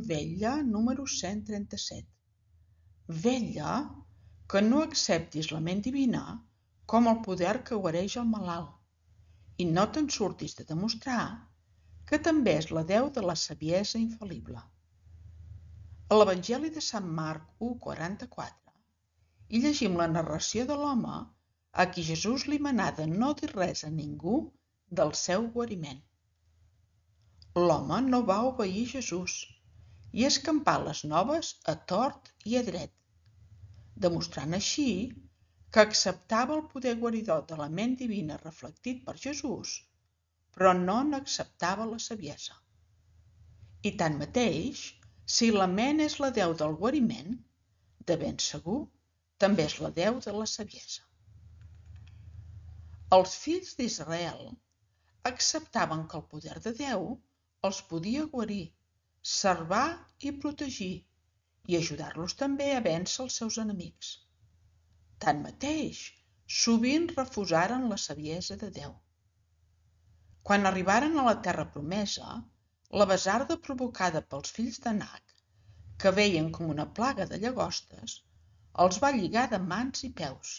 Vetlla número 137. Vetlla que no acceptis la ment divina com el poder que guareix el malalt i no te'n surtis de demostrar que també és la deu de la saviesa infal·lible. A l'Evangeli de Sant Marc 1:44 hi llegim la narració de l'home a qui Jesús li manà de no dir res a ningú del seu guariment. L'home no va obeir Jesús i escampà les noves a tort i a dret, demostrant així que acceptava el poder guaridor de la ment divina reflectit per Jesús, però no n'acceptava la saviesa. I tanmateix, si la ment és la deu del guariment, de ben segur també és la deu de la saviesa. Els fills d'Israel acceptaven que el poder de Déu els podia guarir, salvar i protegir i ajudar-los també a vèncer els seus enemics. Tanmateix, sovint refusaren la saviesa de Déu. Quan arribaren a la terra promesa, la basarda provocada pels fills d'Anak, que veien com una plaga de llagostes, els va lligar de mans i peus.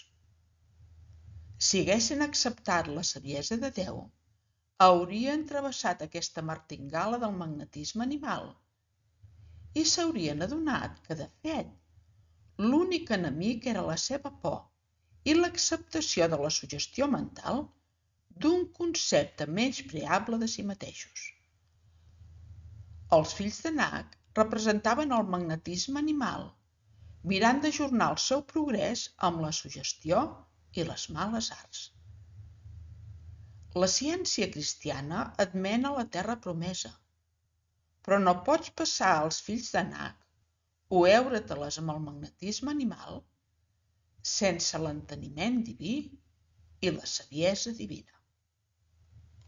Si haguessin acceptat la saviesa de Déu, haurien travessat aquesta martingala del magnetisme animal i s'haurien adonat que, de fet, l'únic enemic era la seva por i l'acceptació de la suggestió mental d'un concepte menyspreable de si mateixos. Els fills d'Anak representaven el magnetisme animal, mirant d'ajornar el seu progrés amb la suggestió i les males arts. La ciència cristiana et mena a la terra promesa, però no pots passar als fills d'Anak o heure-te-les amb el magnetisme animal sense l'enteniment diví i la saviesa divina.